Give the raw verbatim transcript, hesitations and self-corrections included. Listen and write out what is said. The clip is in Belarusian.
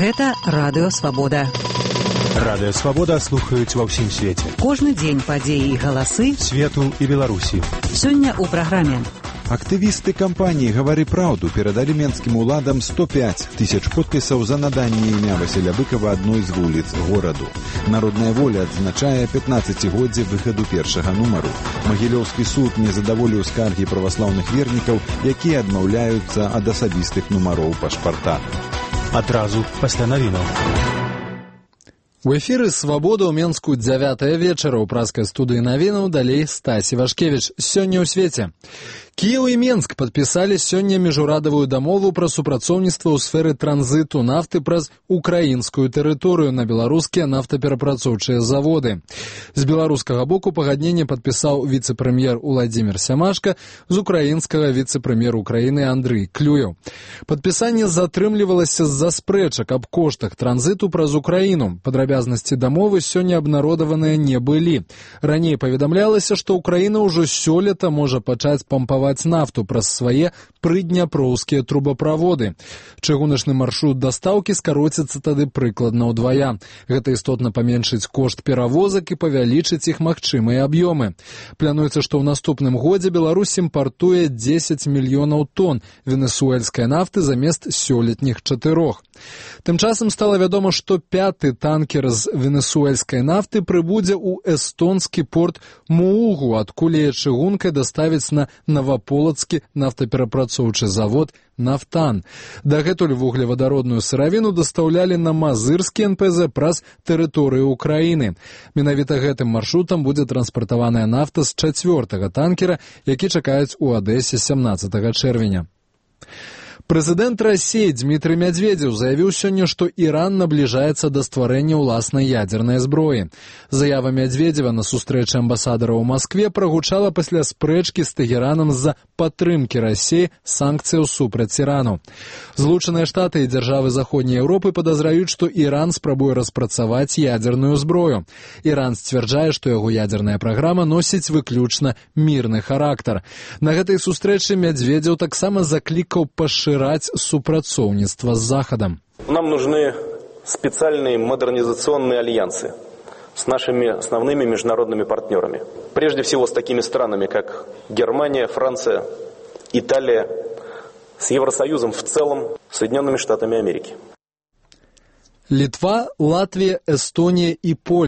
Гэта Радыё Свабода. Радыё Свабода слухаюць ва ўсім свеце. Кожны дзень падзеі і галасы свету і Беларусі. Сёння ў праграме. Актывісты кампаніі «Гавары праўду» перадалі менскім уладам сто пяць тысяч подпісаў за наданне імя Васіля Быкова адной з вуліц гораду. Народная воля адзначае пятнаццацігоддзе выхаду першага нумару. Магілёўскі суд не задаволіў скаргі праваслаўных вернікаў, якія адмаўляюцца ад асабістых нумароў пашпарта. Адразу пасля навінаў. У эфіры «Свабода» ў Менску дзявятая вечара. У праскай студыі навінаў далей Стасі Вашкевіч. Сёння ў свеце. Кіеў і Менск падпісалі сёння міжурадавую дамову пра супрацоўніцтва ў сферы транзіту нафты праз украінскую тэрыторыю на беларускія нафтаперапрацоўчыя заводы. З беларускага боку пагадненне падпісаў віцэ-прэм'ер Уладзімір Сямашка, з украінскага віцэ-прэм'ер Украіны Андрый Клюеў. Падпісанне затрымлівалася з-за спрэчак аб коштах транзіту праз Украіну. Падрабязнасці дамовы сёння абнародаваныя не былі. Раней паведамлялася, што Украіна ўжо сёлета можа пачаць пампаваць нафту праз свае прыдняпроўскія трубаправоды. Чыгуначны маршрут дастаўкі скароціцца тады прыкладна ўдвая. Гэта істотна паменшыць кошт перавозак і павялічыць іх магчымыя аб'ёмы. Плануецца, што ў наступным годзе Беларусь імпартуе дзесяць мільёнаў тонн венесуэльскай нафты замест сёлетніх чатырох. Тым часам стала вядома, што пяты танкер з венесуэльскай нафты прыбудзе ў эстонскі порт Муугу, адкуль яе чыгункай даставіць на Новополацкі нафтаперапрацоўчы завод «Нафтан». Дагэтуль вуглевадародную сыравіну дастаўлялі на Мазырскі эн пэ зэ праз тэрыторыю Украіны. Менавіта гэтым маршрутам будзе транспартаваная нафта з чацвёртага танкера, які чакаюць у Адэсе сямнаццатага чэрвеня. Прэзідэнт Расіі Дмітрый Мядзведзеў заявіў сёння, што Іран набліжаецца да стварэння ўласнай ядзернай зброі. Заява Мядзведзева на сустрэчы амбасадара ў Маскве прагучала пасля спрэчкі з Тэгеранам з-за падтрымкі Расіі санкцыяў супраць Ірану. Злучаныя Штаты і дзяржавы Заходняй Еўропы падазраюць, што Іран спрабуе распрацаваць ядзерную зброю. Іран сцвярджае, што яго ядзерная праграма носіць выключна мірны характар. На гэтай сустрэчы Мядзведзеў таксама заклікаў пашыраць супрацоўніцтва с Заходом. Нам нужны специальные модернизационные альянсы с нашими основными международными партнерами. Прежде всего с такими странами, как Германия, Франция, Италия, с Евросоюзом в целом, Соединенными Штатами Америки. Литва, Латвия, Эстония и Польша.